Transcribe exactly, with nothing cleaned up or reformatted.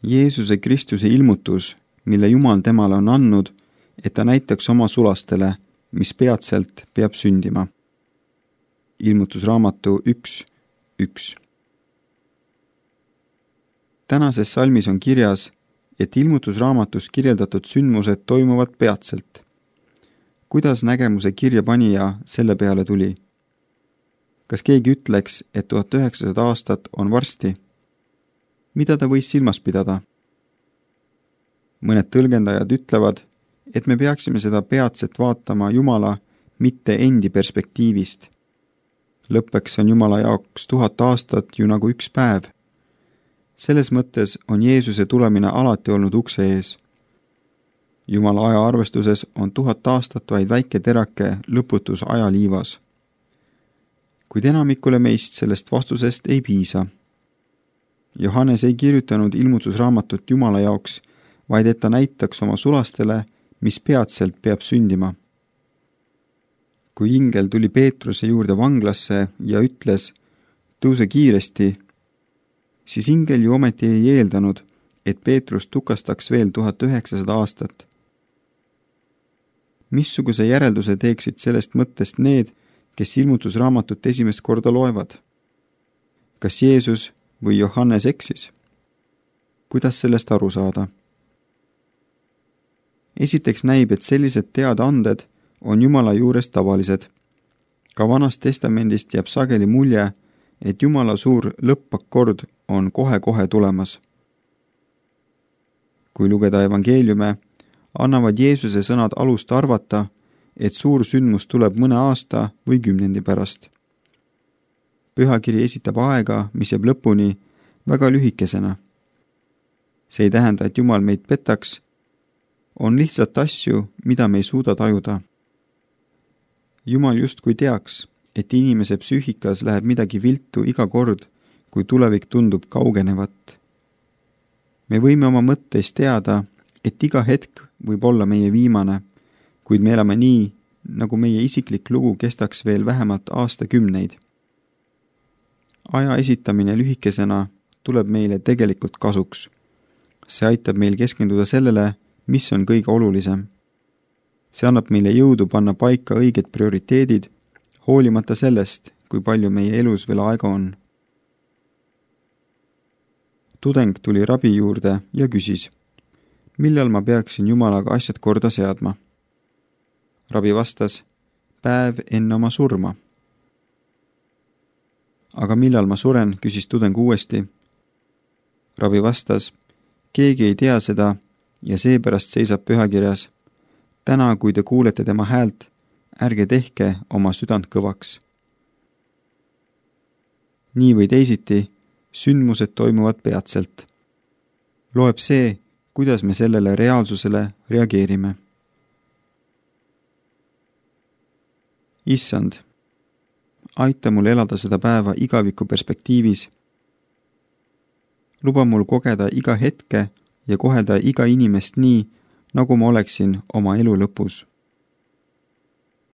Jeesuse Kristuse ilmutus, mille Jumal temale on andnud, et ta näitaks oma sulastele, mis peatselt peab sündima. Ilmutusraamatu üks üks. Tänases salmis on kirjas, et ilmutusraamatus kirjeldatud sündmused toimuvad peatselt. Kuidas nägemuse kirja panija selle peale tuli? Kas keegi ütleks, et tuhat üheksasada aastat on varsti? Mida ta võis silmas pidada? Mõned tõlgendajad ütlevad, et me peaksime seda peatset vaatama Jumala, mitte endi perspektiivist. Lõppeks on Jumala jaoks tuhat aastat ju nagu üks päev. Selles mõttes on Jeesuse tulemine alati olnud ukse ees. Jumala ajaarvestuses on tuhat aastat vaid väike terake lõputus ajaliivas. Kuid enamikule meist sellest vastusest ei piisa. Johannes ei kirjutanud ilmutusraamatut Jumala jaoks, vaid et ta näitaks oma sulastele, mis peatselt peab sündima. Kui ingel tuli Peetruse juurde vanglasse ja ütles, tõuse kiiresti, siis ingel ju ometi ei eeldanud, et Peetrus tukastaks veel tuhat üheksasada aastat. Missuguse järelduse teeksid sellest mõttest need, kes ilmutusraamatut esimest korda loevad? Kas Jeesus või Johannes eksis? Kuidas sellest aru saada? Esiteks näib, et sellised teadaanded on Jumala juures tavalised. Ka Vanast Testamendist jääb sageli mulje, et Jumala suur lõppakord on kohe-kohe tulemas. Kui lugeda evangeeliume, annavad Jeesuse sõnad alust arvata, et suur sündmus tuleb mõne aasta või kümnendi pärast. Pühakiri esitab aega, mis jääb lõpuni, väga lühikesena. See ei tähenda, et Jumal meid petaks, on lihtsalt asju, mida me ei suuda tajuda. Jumal justkui teaks, et inimese psüühikas läheb midagi viltu iga kord, kui tulevik tundub kaugenevat. Me võime oma mõtteis teada, et iga hetk võib olla meie viimane, kuid me elame nii, nagu meie isiklik lugu kestaks veel vähemalt aastakümneid. Aja esitamine lühikesena tuleb meile tegelikult kasuks. See aitab meil keskenduda sellele, mis on kõige olulisem. See annab meile jõudu panna paika õiged prioriteedid, hoolimata sellest, kui palju meie elus veel aega on. Tudeng tuli rabi juurde ja küsis, millal ma peaksin Jumalaga asjad korda seadma. Rabi vastas, päev enne oma surma. Aga millal ma suren, küsis tudeng uuesti. Rabi vastas, keegi ei tea seda ja seepärast seisab pühakirjas. Täna, kui te kuulete tema häält, ärge tehke oma südant kõvaks. Nii või teisiti, sündmused toimuvad peatselt. Loeb see, kuidas me sellele reaalsusele reageerime. Issand, aita mul elada seda päeva igaviku perspektiivis. Luba mul kogeda iga hetke ja kohelda iga inimest nii, nagu ma oleksin oma elu lõpus.